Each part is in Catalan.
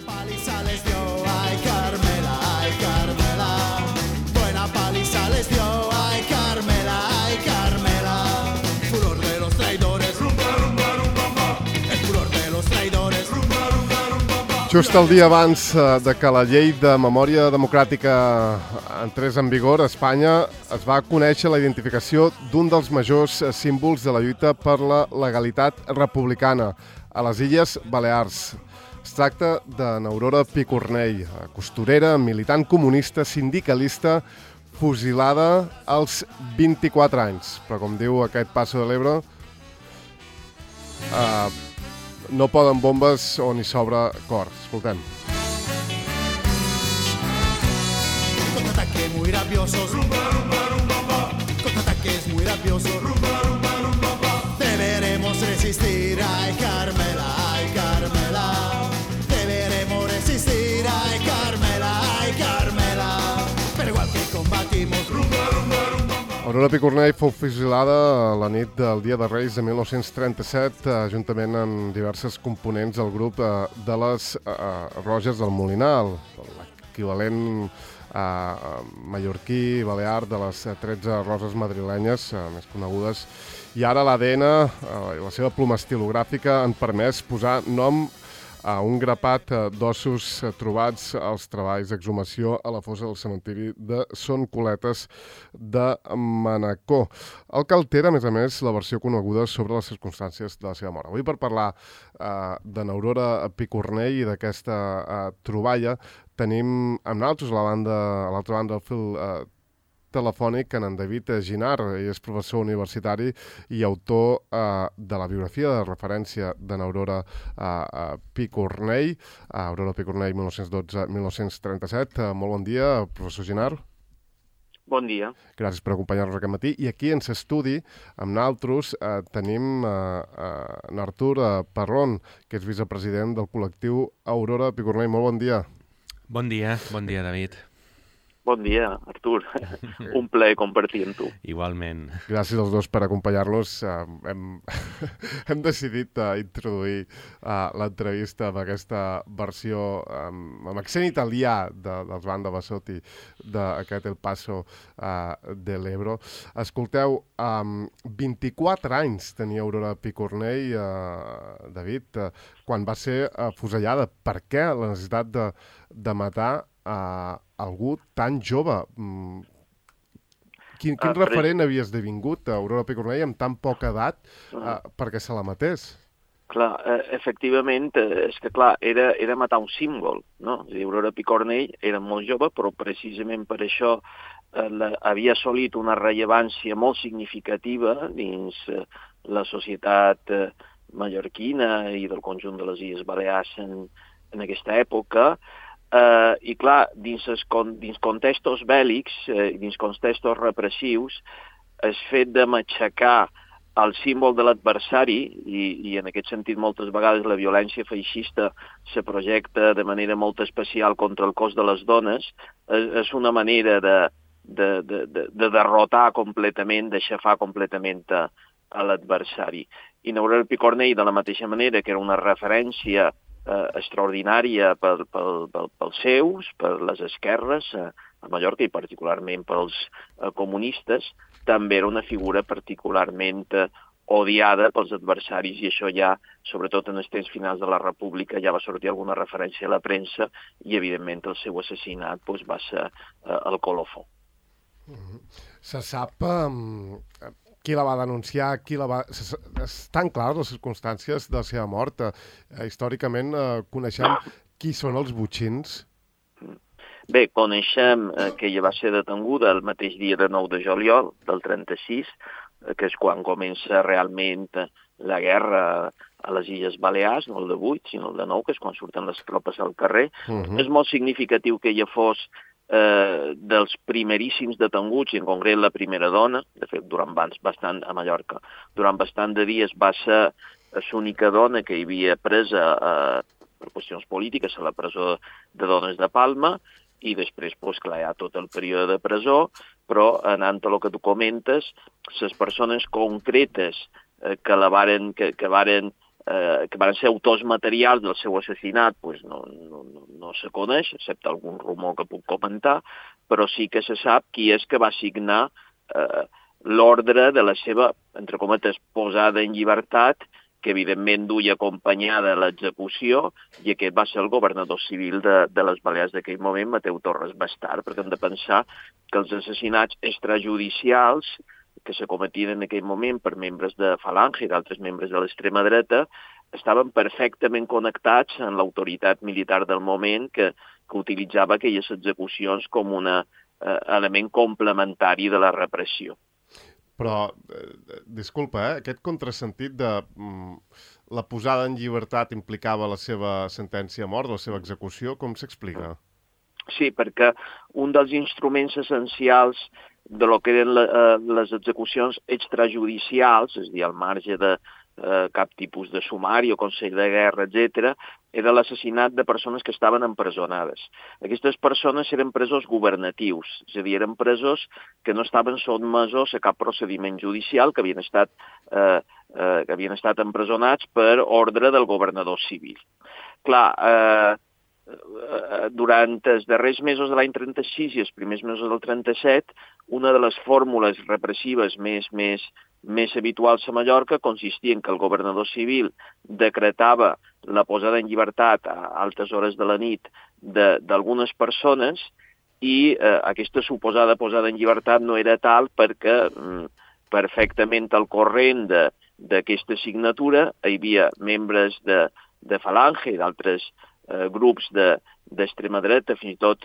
paliza les dio, ay Carmela, ay Carmela. Buena paliza les dio, ay Carmela, ay Carmela. Furor de los traidores, rumba, rumba, rumba. El furor de los traidores, rumba, rumba, rumba. Just el dia abans de que la llei de memòria democràtica entrés en vigor a Espanya, es va conèixer la identificació d'un dels majors símbols de la lluita per la legalitat republicana a les Illes Balears. Es tracta de n'Aurora Picornell, costurera, militant comunista, sindicalista, fusilada als 24 anys. Però com diu aquest Paso de l'Ebre, no poden bombes on hi sobra cor. Escoltem. Contraataques muy rabiosos, rumba, rumba, rumba. Contraataques muy rabiosos, rumba, rumba, rumba. Deberemos resistir, ay Carmela, ay Carmela. Deberemos resistir, ay Carmela, ay Carmela. Pero igual que combatimos, rumba, rumba, rumba. Aurora Picornell fou fusilada la nit del Dia de Reis de 1937, juntament amb diverses components del grup de les Roges del Molinar, l'equivalent mallorquí, balear, de les 13 roses madrilenyes més conegudes. I ara l'ADN i la seva ploma estilogràfica han permès posar nom a un grapat d'ossos trobats als treballs d'exhumació a la fossa del cementiri de Son Coletes de Manacor. El que altera, a més, la versió coneguda sobre les circumstàncies de la seva mort. Avui, per parlar de n'Aurora Picornell i d'aquesta troballa, tenim amb nosaltres a l'altra banda del fil telefònic en David Ginar. Ell és professor universitari i autor de la biografia de referència de n'Aurora Picornell, Aurora Picornell 1912-1937. Molt bon dia, professor Ginar. Bon dia. Gràcies per acompanyar-nos aquest matí. I aquí en l'estudi, amb nosaltres, tenim n'Artur Parrón, que és vicepresident del col·lectiu Aurora Picornell. Molt bon dia. Bon dia, David. Bon dia, Artur. Un plaer compartir amb tu. Igualment. Gràcies als dos per acompanyar-nos. Hem decidit introduir l'entrevista amb aquesta versió amb accent italià dels Banda Bassotti d'aquest El Paso de l'Ebro. Escolteu, 24 anys tenia Aurora Picornell, David, quan va ser afusellada. Per què la necessitat de matar algú tan jove? Quin referent havia esdevingut Aurora Picornell amb tan poca edat perquè se la matés? Clar, efectivament, és que era matar un símbol, no? És a dir, Aurora Picornell era molt jove, però precisament per això havia assolit una rellevància molt significativa dins la societat mallorquina i del conjunt de les Illes Balears en aquesta època. I clar, dins contextos bèl·lics, dins contextos repressius, el fet de matxacar el símbol de l'adversari, i en aquest sentit moltes vegades la violència feixista se projecta de manera molt especial contra el cos de les dones, és una manera de derrotar completament, d'aixafar completament a l'adversari. I n'Aurora Picornell, de la mateixa manera que era una referència extraordinària pels seus, per les esquerres a Mallorca i particularment pels comunistes, també era una figura particularment odiada pels adversaris i això ja, sobretot en els temps finals de la República, ja va sortir alguna referència a la premsa i evidentment el seu assassinat va ser el colofó. Se sap qui la va denunciar, estan clares les circumstàncies de la seva mort. Històricament coneixem qui són els botxins? Bé, coneixem que ella va ser detenguda el mateix dia de 9 de juliol del 36, que és quan comença realment la guerra a les Illes Balears, no el de 8, sinó el de 9, que és quan surten les tropes al carrer. És molt significatiu que ella fos dels primeríssims detenguts, i en concret la primera dona, de fet, a Mallorca, durant bastant de dies va ser l'única dona que hi havia presa per qüestions polítiques a la presó de dones de Palma, i després, clar, hi ha tot el període de presó, però anant a el que tu comentes, les persones concretes que varen que van ser autors materials del seu assassinat, doncs no se coneix, excepte algun rumor que puc comentar, però sí que se sap qui és que va signar l'ordre de la seva, entre cometes, posada en llibertat, que evidentment duia acompanyada l'execució, i aquest va ser el governador civil de les Balears d'aquell moment, Mateu Torres Bastard, perquè hem de pensar que els assassinats extrajudicials que se cometien en aquell moment per membres de Falange i d'altres membres de l'extrema dreta estaven perfectament connectats amb l'autoritat militar del moment que utilitzava aquelles execucions com un element complementari de la repressió. Però, disculpa, aquest contrasentit de la posada en llibertat implicava la seva sentència a mort, la seva execució, com s'explica? Sí, perquè un dels instruments essencials de lo que eren les execucions extrajudicials, és a dir, al marge de cap tipus de sumari o consell de guerra, etc., era l'assassinat de persones que estaven empresonades. Aquestes persones eren presos governatius, és a dir, eren presos que no estaven sotmesos a cap procediment judicial, que havien estat empresonats per ordre del governador civil. Clar, durant els darrers mesos de l'any 36 i els primers mesos del 37, una de les fórmules repressives més habituals a Mallorca consistia en que el governador civil decretava la posada en llibertat a altes hores de la nit d'algunes persones i aquesta suposada posada en llibertat no era tal perquè perfectament al corrent d'aquesta signatura hi havia membres de Falange i d'altres grups d'extrema dreta, fins i tot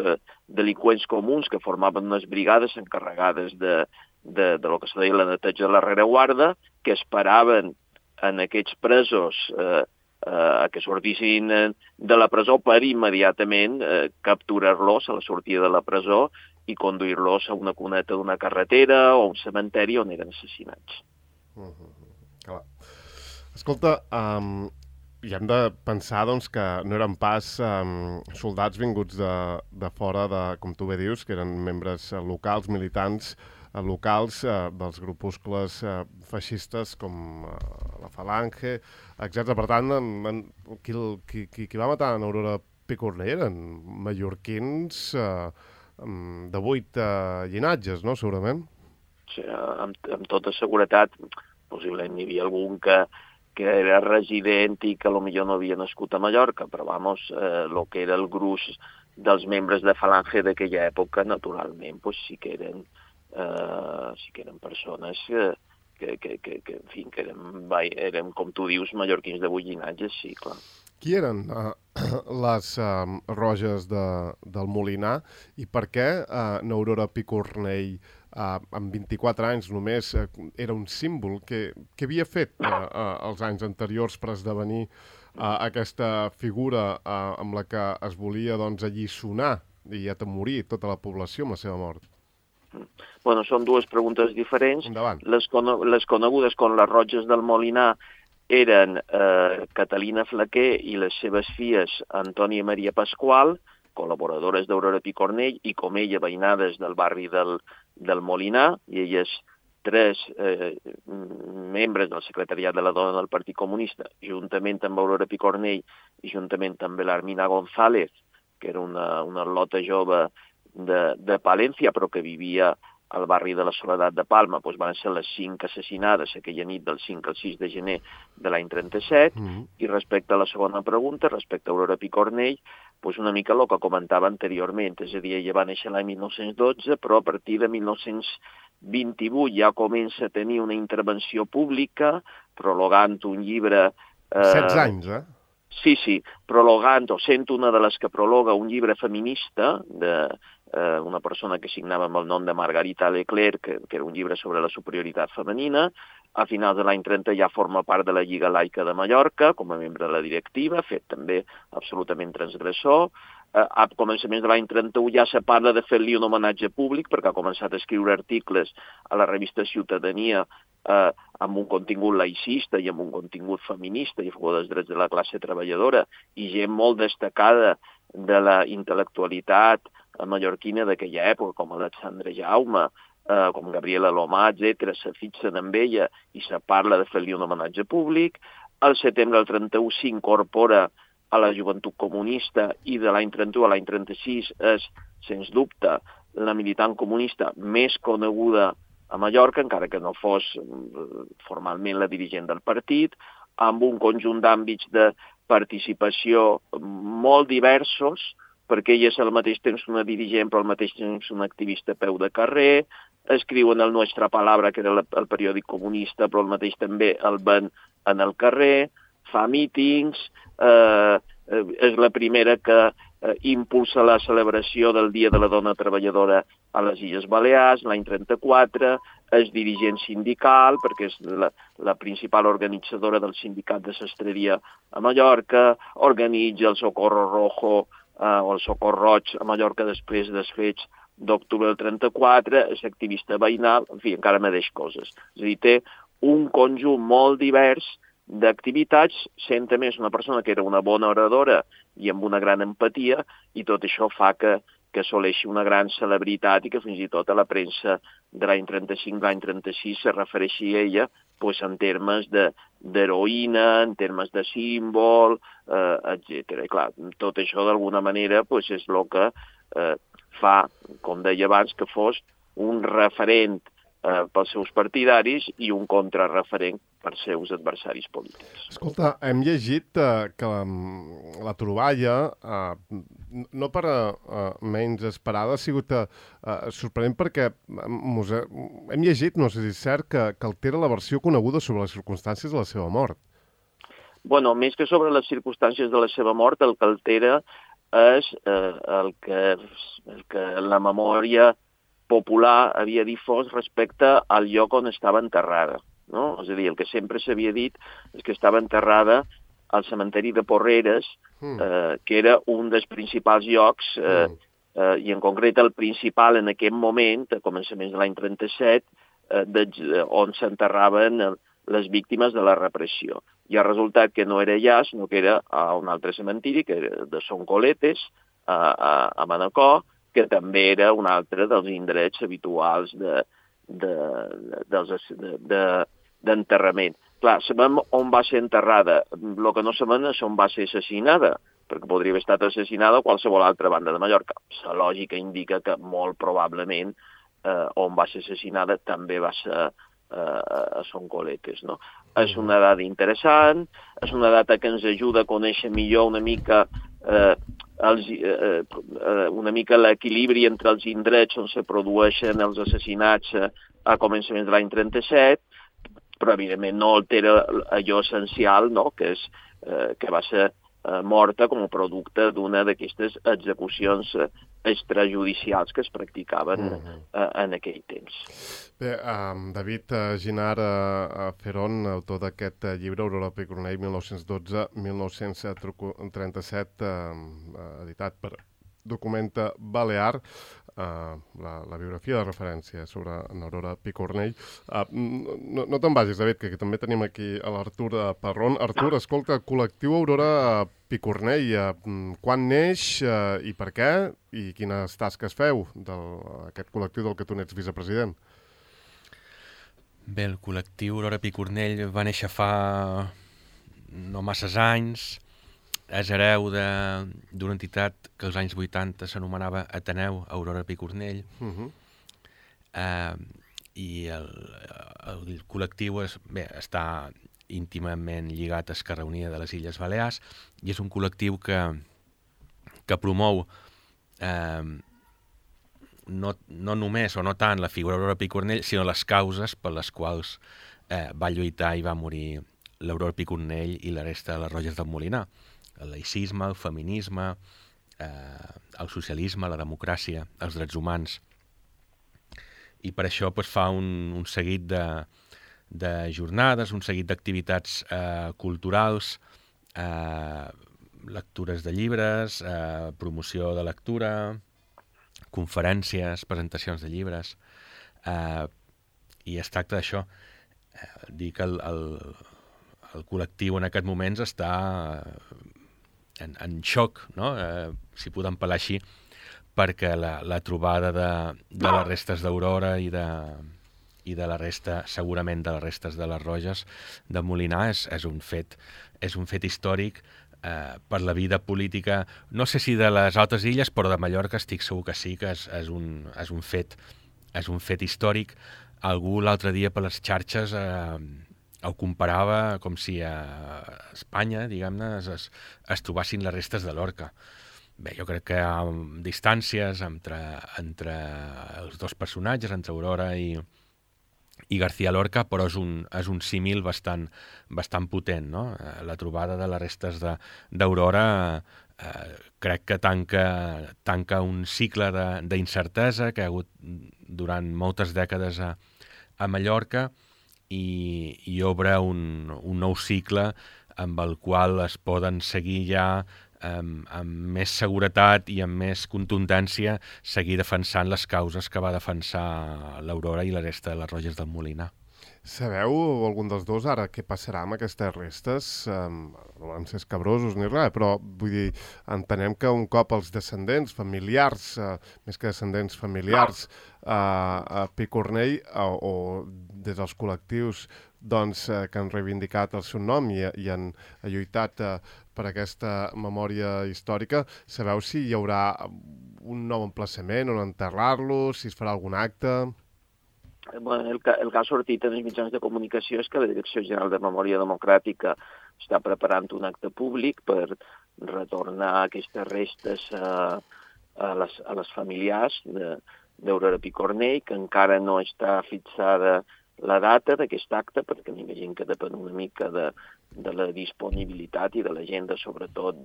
delinqüents comuns que formaven unes brigades encarregades de lo que se deia la neteja de la rereguarda, que esperaven en aquests presos que sortissin de la presó per immediatament capturar-los a la sortida de la presó i conduir-los a una cuneta d'una carretera o a un cementeri on eren assassinats. Clar. Escolta, i hem de pensar que no eren pas soldats vinguts de fora, com tu bé dius, que eren membres locals, militants locals dels grupuscles feixistes com la Falange, etc. Per tant, qui va matar en Aurora Picornell eren mallorquins de 8 llinatges, no?, segurament? Sí, amb tota seguretat, possiblement n'hi havia algun que era resident i que potser no havia nascut a Mallorca, però el que era el gruix dels membres de Falange d'aquella època, naturalment, sí que eren persones que eren, com tu dius, mallorquins de 8 llinatges, sí, clar. Qui eren les Roges del Molinar i per què n'Aurora Picornell amb 24 anys només era un símbol? Què havia fet els anys anteriors per esdevenir aquesta figura amb la que es volia alliçonar i atemorir tota la població amb la seva mort? Bueno, són dues preguntes diferents. Endavant. Les conegudes com les Roges del Molinar eren Catalina Flaquer i les seves filles Antònia i Maria Pasqual, col·laboradores d'Aurora Picornell i com ella veïnades del barri del Molinar, i elles 3 membres del secretariat de la dona del Partit Comunista, juntament amb Aurora Picornell i juntament amb l'Armina González, que era una lota jove de Palència, però que vivia al barri de la Soledat de Palma, van ser les 5 assassinades aquella nit del 5 al 6 de gener de l'any 37, i respecte a la segona pregunta, respecte a Aurora Picornell, una mica el que comentava anteriorment, és a dir, ella va néixer l'any 1912, però a partir de 1928 ja comença a tenir una intervenció pública, prologant un llibre... 16 anys, eh? Sí, prologant, o sent una de les que prologa un llibre feminista una persona que signava amb el nom de Margarita Leclerc, que era un llibre sobre la superioritat femenina. A finals de l'any 30 ja forma part de la Lliga Laica de Mallorca, com a membre de la directiva, fet també absolutament transgressor. A començaments de l'any 31 ja se parla de fer-li un homenatge públic, perquè ha començat a escriure articles a la revista Ciutadania amb un contingut laicista i amb un contingut feminista i a favor dels drets de la classe treballadora, i gent molt destacada de la intel·lectualitat mallorquina d'aquella època, com Alexandre Jaume, com Gabriela Lomà, etc., se fixen amb ella i se parla de fer-li un homenatge públic. al setembre del 31 s'incorpora a la Joventut Comunista i de l'any 31 a l'any 36 és, sens dubte, la militant comunista més coneguda a Mallorca, encara que no fos formalment la dirigent del partit, amb un conjunt d'àmbits de participació molt diversos, perquè ella és al mateix temps una dirigent, però al mateix temps una activista a peu de carrer, escriu en el Nuestra Palabra, que era el periòdic comunista, però al mateix també el ven en el carrer, fa mítings, és la primera que impulsa la celebració del Dia de la Dona Treballadora a les Illes Balears, l'any 34, és dirigent sindical, perquè és la principal organitzadora del sindicat de sastreria a Mallorca, organitza el Socorro Rojo o el Socor Roig a Mallorca després dels fets d'octubre del 34, és activista veïnal, en fi, encara me deix coses. És a dir, té un conjunt molt divers d'activitats, sent a més una persona que era una bona oradora i amb una gran empatia, i tot això fa que assoleixi una gran celebritat i que fins i tot a la premsa de l'any 35, l'any 36 se refereixi a ella pues, en termes d'heroïna, en termes de símbol, etc. I clar, tot això d'alguna manera pues, és el que fa, com deia abans, que fos un referent pels seus partidaris i un contrarreferent pels seus adversaris polítics. Escolta, hem llegit que la troballa, no per menys esperada, ha sigut sorprenent perquè hem llegit, no sé si és cert, que altera la versió coneguda sobre les circumstàncies de la seva mort. Bueno, més que sobre les circumstàncies de la seva mort, el que altera és el que la memòria popular havia difós respecte al lloc on estava enterrada. No? És a dir, el que sempre s'havia dit és que estava enterrada al cementeri de Porreres, que era un dels principals llocs, i en concret el principal en aquest moment, a començaments de l'any 37, on s'enterraven les víctimes de la repressió. I ha resultat que no era allà, sinó que era a un altre cementiri, que era de Son Coletes, a Manacor, que també era un altre dels indrets habituals d'enterrament. Clar, sabem on va ser enterrada, el que no sabem és on va ser assassinada, perquè podria haver estat assassinada a qualsevol altra banda de Mallorca. La lògica indica que molt probablement on va ser assassinada també va ser a Son Coletes. No? És una dada interessant, és una data que ens ajuda a conèixer millor una mica l'equilibri entre els indrets on se produeixen els assassinats a començaments de l'any 37, però evidentment no altera allò essencial, no? Que va ser morta com a producte d'una d'aquestes execucions extrajudicials que es practicaven en aquell temps. Bé, David Ginar Ferón, autor d'aquest llibre, Aurora Picornell, 1912-1937, editat per Documenta Balear, la biografia de referència sobre Aurora Picornell. No te'n vagis, David, que també tenim aquí a l'Artur Parrón. Artur, escolta, col·lectiu Aurora Picornell, quan neix i per què? I quines tasques feu d'aquest col·lectiu del que tu n'ets vicepresident? Bé, el col·lectiu Aurora Picornell va néixer fa no masses anys. És hereu d'una entitat que als anys 80 s'anomenava Ateneu Aurora Picornell. I el col·lectiu està íntimament lligat a Esquerra Unida de les Illes Balears i és un col·lectiu que promou no només o no tant la figura d'Aurora Picornell, sinó les causes per les quals va lluitar i va morir l'Aurora Picornell i la resta de les Roges del Molinar. El laïcisme, el feminisme, el socialisme, la democràcia, els drets humans. I per això fa un seguit de jornades, un seguit d'activitats culturals, lectures de llibres, promoció de lectura, conferències, presentacions de llibres. I es tracta d'això, dir que el col·lectiu en aquests moments està en xoc, no? Si podem parlar així, perquè la trobada de les restes d'Aurora i i de la resta, segurament de les restes de les Roges de Molinar, és un fet històric per la vida política, no sé si de les altres illes, però de Mallorca estic segur que sí, que és un fet històric. Algú l'altre dia per les xarxes ho comparava com si a Espanya, diguem-ne, es trobessin les restes de Lorca. Bé, jo crec que hi ha distàncies entre els dos personatges, entre Aurora i García Lorca, però és un símil bastant potent, no? La trobada de les restes d'Aurora crec que tanca un cicle d'incertesa que ha hagut durant moltes dècades a Mallorca i obre un nou cicle amb el qual es poden seguir ja amb més seguretat i amb més contundència seguir defensant les causes que va defensar l'Aurora i la resta de les Roges del Molinar. Sabeu, algun dels dos, ara què passarà amb aquestes restes? No van ser escabrosos ni res, però vull dir, entenem que un cop els descendents familiars, més que descendents familiars, a Picornell o des dels col·lectius doncs, que han reivindicat el seu nom i han lluitat per aquesta memòria històrica, sabeu si hi haurà un nou emplaçament on enterrar-los, si es farà algun acte? Bueno, el que ha sortit en els mitjans de comunicació és que la Direcció General de Memòria Democràtica està preparant un acte públic per retornar aquestes restes a les familiars d'Aurora Picornell, que encara no està fixada la data d'aquest acte, perquè m'imagino que depèn una mica de la disponibilitat i de l'agenda, sobretot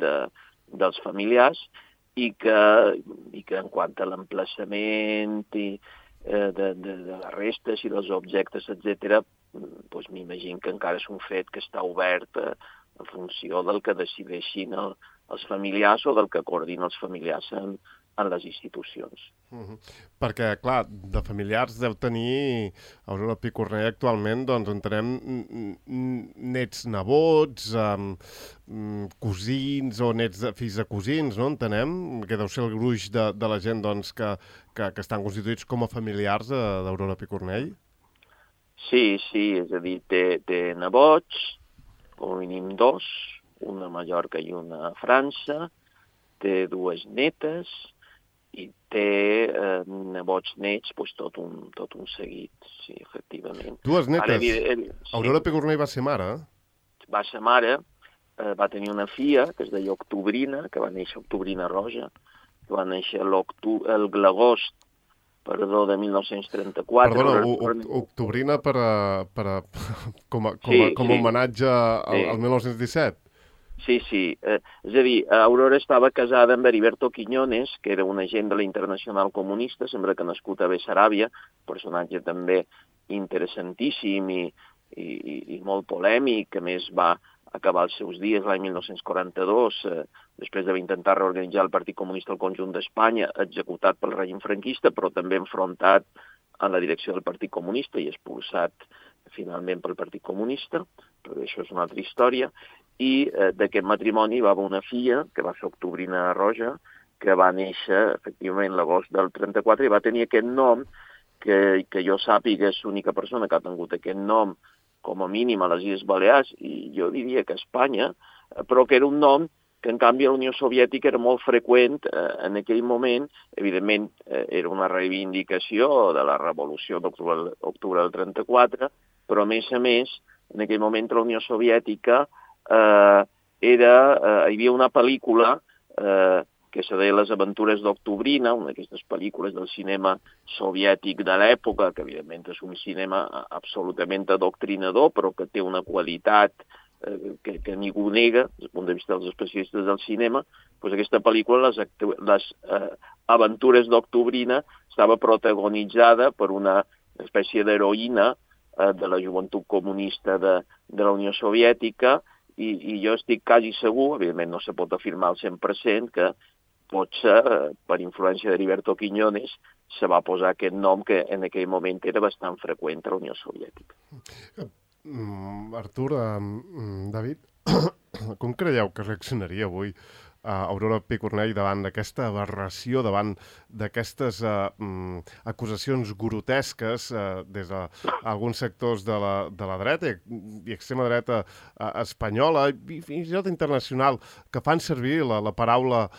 dels familiars, i que en quant a l'emplaçament de les restes i dels objectes, etc., doncs m'imagino que encara és un fet que està obert en funció del que decideixin els familiars o del que coordinen els familiars en les institucions. Perquè, clar, de familiars deu tenir Aurora Picornell actualment, doncs entenem nets nebots, cosins o nets fills de cosins, no? Entenem que deu ser el gruix de la gent doncs, que estan constituïts com a familiars d'Aurora Picornell. Sí, és a dir, té nebots, com a mínim dos, una a Mallorca i una a França, té dues netes, i té nebots nets, doncs tot un seguit, sí, efectivament. Dues netes? Aurora Picornell va ser mare? Va ser mare, va tenir una filla, que es deia Octubrina, que va néixer Octubrina Roja, que va néixer l'agost, de 1934. Perdona, Octubrina com a homenatge al 1917? Sí. És a dir, Aurora estava casada amb Heriberto Quiñones, que era un agent de la Internacional Comunista, sembla que nascut a Bessaràbia, personatge també interessantíssim i molt polèmic, que més va acabar els seus dies l'any 1942, després d'haver intentat reorganitzar el Partit Comunista al conjunt d'Espanya, executat pel règim franquista, però també enfrontat a la direcció del Partit Comunista i expulsat finalment pel Partit Comunista, però això és una altra història. I d'aquest matrimoni va haver una filla, que va ser Octubrina Roja, que va néixer efectivament l'agost del 34 i va tenir aquest nom, que jo sàpiga és l'única persona que ha tingut aquest nom com a mínim a les Illes Balears, i jo diria que a Espanya, però que era un nom que en canvi a la Unió Soviètica era molt freqüent en aquell moment. Evidentment era una reivindicació de la revolució d'octubre del 34, però a més, en aquell moment a la Unió Soviètica hi havia una pel·lícula que se deia Les aventures d'Octubrina, una d'aquestes pel·lícules del cinema soviètic de l'època, que evidentment és un cinema absolutament adoctrinador, però que té una qualitat que ningú nega, des del punt de vista dels especialistes del cinema. Doncs aquesta pel·lícula, Les aventures d'Octubrina, estava protagonitzada per una espècie d'heroïna de la joventut comunista de la Unió Soviètica, i jo estic quasi segur, evidentment no se pot afirmar al 100%, que potser per influència d'Heriberto Quiñones se va posar aquest nom que en aquell moment era bastant freqüent a la Unió Soviètica. Artur, David, com creieu que reaccionaria avui Aurora Picornell davant d'aquesta aberració, davant d'aquestes acusacions grotesques des d'alguns sectors de la dreta i extrema dreta espanyola i fins i tot internacional, que fan servir la paraula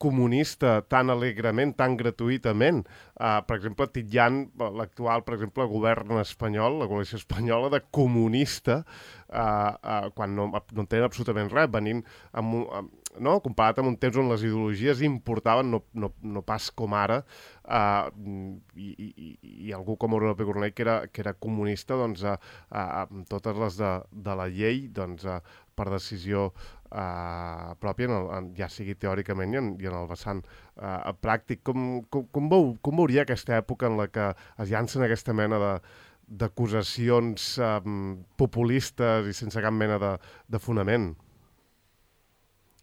comunista tan alegrement, tan gratuïtament. Per exemple, titllant l'actual, per exemple, govern espanyol, la coalició espanyola, de comunista, quan no tenen absolutament res, venint comparat amb un temps on les ideologies importaven, no pas com ara, i algú com Aurora Picornell, que era comunista, doncs, amb totes les de la llei, doncs, per decisió pròpia, ja sigui teòricament i en el vessant pràctic. Com veuria aquesta època en la que es llancen aquesta mena d'acusacions populistes i sense cap mena de fonament?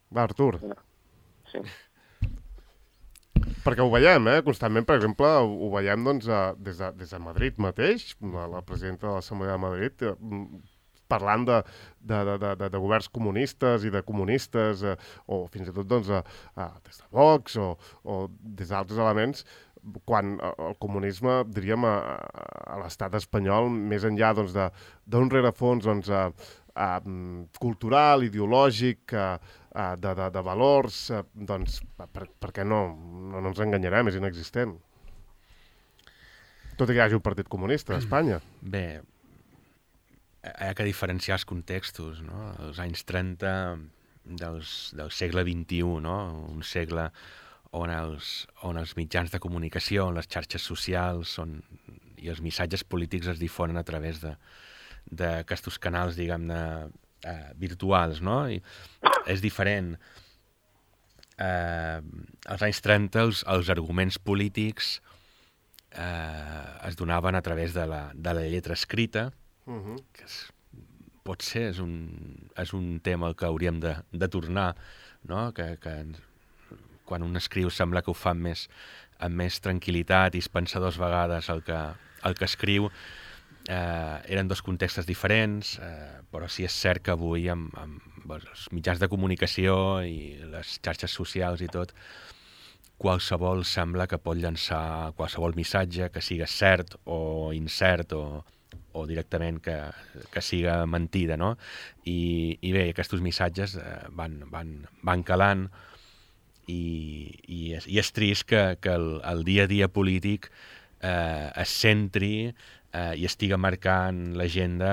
Va, Artur. Sí. Perquè ho veiem, constantment, per exemple, ho veiem doncs, des de Madrid mateix, la presidenta de l'Assemblea de Madrid, parlant de governs comunistes i de comunistes, o fins i tot doncs, des de Vox o des d'altres elements, quan el comunisme, diríem, a l'estat espanyol, més enllà doncs, d'un rerefons doncs, cultural, ideològic, de valors, doncs, per què no ens enganyarem, és inexistent. Tot i que hi hagi un partit comunista a Espanya. Bé, hi ha que diferenciar els contextos, no? Els anys 30 del segle XXI, no? Un segle on els mitjans de comunicació, on les xarxes socials i els missatges polítics es difonen a través d'aquests canals, diguem-ne, virtuals, no? I és diferent. Als anys 30 els arguments polítics es donaven a través de la lletra escrita, que potser és un tema al que hauríem de tornar, no? Que quan un escriu sembla que ho fa amb més tranquil·litat i es pensa dues vegades el que escriu. Eren dos contextes diferents, però sí és cert que avui amb els mitjans de comunicació i les xarxes socials i tot, qualsevol sembla que pot llançar qualsevol missatge, que siga cert o incert o directament que siga mentida, no? I bé, aquests missatges van calant i és trist que el dia a dia polític es centri i estiga marcant l'agenda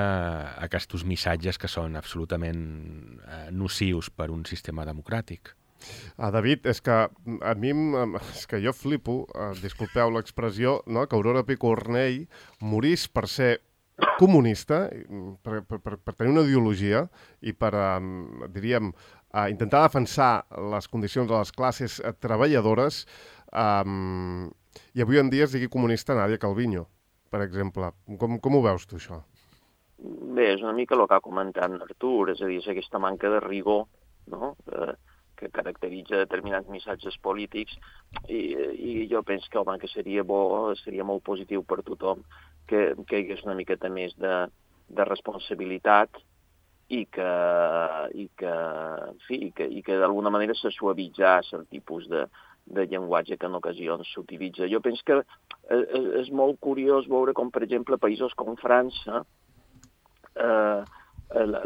aquests missatges que són absolutament nocius per un sistema democràtic. David, és que a mi és que jo flipo, disculpeu l'expressió, no? Que Aurora Picornell morís per ser comunista, per tenir una ideologia i per, diríem, intentar defensar les condicions de les classes treballadores, i avui en dia es digui comunista Nadia Calviño, per exemple. Com ho veus tu, això? Bé, és una mica el que ha comentat Artur, és a dir, és aquesta manca de rigor, no?, que caracteritza determinats missatges polítics i jo penso que, home, que seria bo, seria molt positiu per tothom que hi hagués una miqueta més de responsabilitat i que d'alguna manera se suavitzés el tipus de llenguatge que en ocasions s'utilitza. Jo penso que és molt curiós veure com, per exemple, països com França,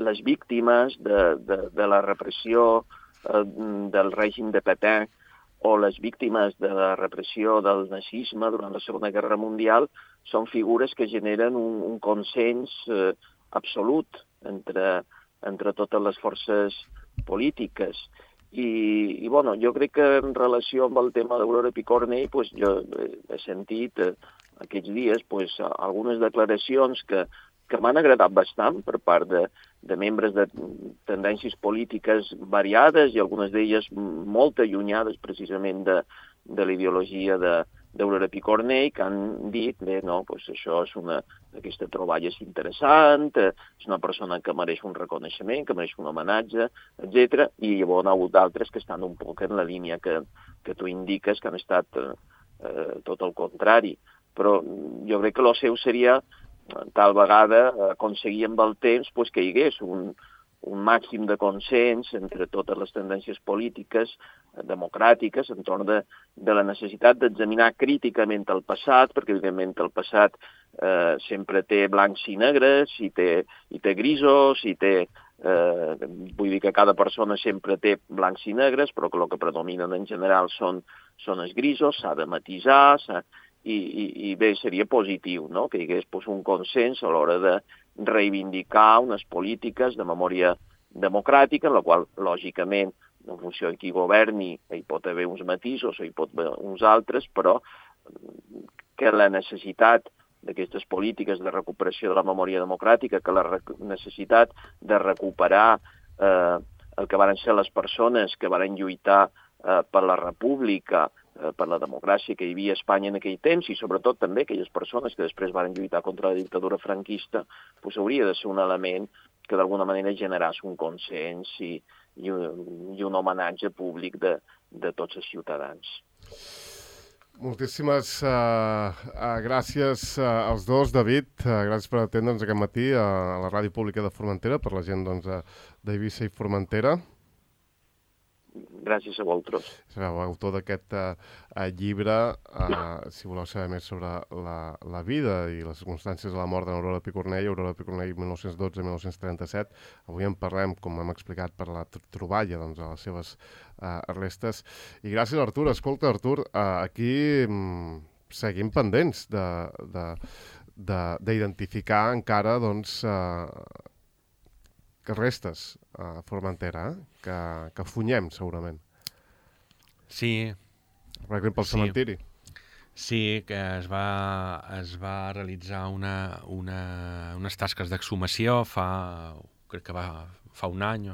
les víctimes de la repressió del règim de Pétain o les víctimes de la repressió del nazisme durant la Segona Guerra Mundial són figures que generen un consens absolut entre totes les forces polítiques. I bueno, jo crec que en relació amb el tema d'Aurora Picornell, pues, jo he sentit aquests dies algunes declaracions que m'han agradat bastant per part de membres de tendències polítiques variades i algunes d'elles molt allunyades precisament de la ideologia d'Aurora Picornell, que han dit, bé, no, doncs això és aquesta troballa és interessant, és una persona que mereix un reconeixement, que mereix un homenatge, etc. I llavors hi ha hagut d'altres que estan un poc en la línia que tu indiques, que han estat tot el contrari. Però jo crec que el seu seria tal vegada aconseguir amb el temps que hi hagués un màxim de consens entre totes les tendències polítiques democràtiques entorn de la necessitat d'examinar críticament el passat, perquè evidentment el passat sempre té blancs i negres, i té grisos, vull dir que cada persona sempre té blancs i negres, però que el que predominen en general són els grisos, s'ha de matisar, i bé, seria positiu, no?, que hi hagués un consens a l'hora de reivindicar unes polítiques de memòria democràtica, en la qual, lògicament, en funció de qui governi, hi pot haver uns matisos o hi pot haver uns altres, però que la necessitat d'aquestes polítiques de recuperació de la memòria democràtica, que la necessitat de recuperar el que van ser les persones que van lluitar per la república, per la democràcia que hi havia a Espanya en aquell temps, i sobretot també aquelles persones que després van lluitar contra la dictadura franquista, hauria de ser un element que d'alguna manera generés un consens i un homenatge públic de tots els ciutadans. Moltíssimes gràcies als dos, David. Gràcies per atendre'ns aquest matí a la Ràdio Pública de Formentera, per la gent d'Eivissa i Formentera. Gràcies a vosaltres. Sereu autor d'aquest llibre, si voleu saber més sobre la vida i les circumstàncies de la mort d'Aurora Picornell, Aurora Picornell 1912-1937. Avui en parlem, com hem explicat, per la troballa de les seves restes. I gràcies, Artur. Escolta, Artur, aquí seguim pendents d'identificar encara, doncs, restes a Formentera, que funyem, segurament. Sí. Per exemple, el cementiri. Sí, que es va realitzar unes tasques d'exhumació crec que fa un any,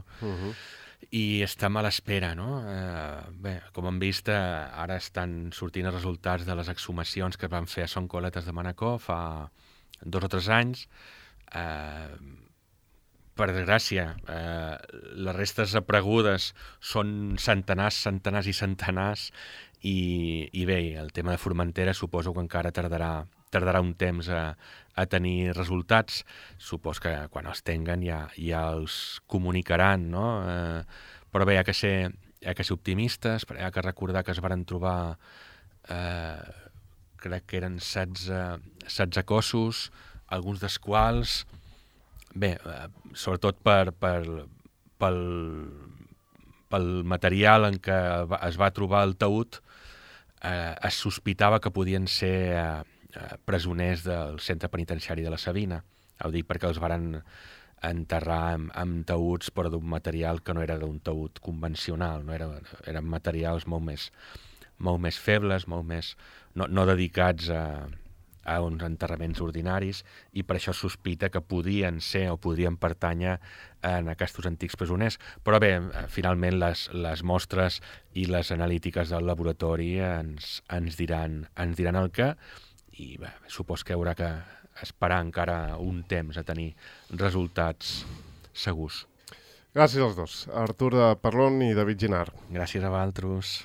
i estem a l'espera, no? Bé, com hem vist, ara estan sortint els resultats de les exhumacions que es van fer a Son Coletes de Manacor fa 2 o 3 anys. Per desgràcia, les restes aparegudes són centenars i centenars, i bé, el tema de Formentera suposo que encara tardarà un temps a tenir resultats. Supos que quan els tinguen ja els comunicaran, no? Però bé, hi ha que ser optimistes, hi ha que recordar que es varen trobar, crec que eren 16 cossos, alguns dels quals, bé, sobretot pel material en què es va trobar el taüt, es sospitava que podien ser presoners del centre penitenciari de la Sabina. Ho dic perquè els varen enterrar amb taüts, però d'un material que no era d'un taüt convencional, no? Eren materials molt més febles, no dedicats a uns enterraments ordinaris, i per això sospita que podien ser o podrien pertànyer en aquests antics presoners. Però bé, finalment les mostres i les analítiques del laboratori ens diran el què, i bé, supos que haurà que esperar encara un temps a tenir resultats segurs. Gràcies als dos, Artur Parlon i David Ginard. Gràcies a vosaltres.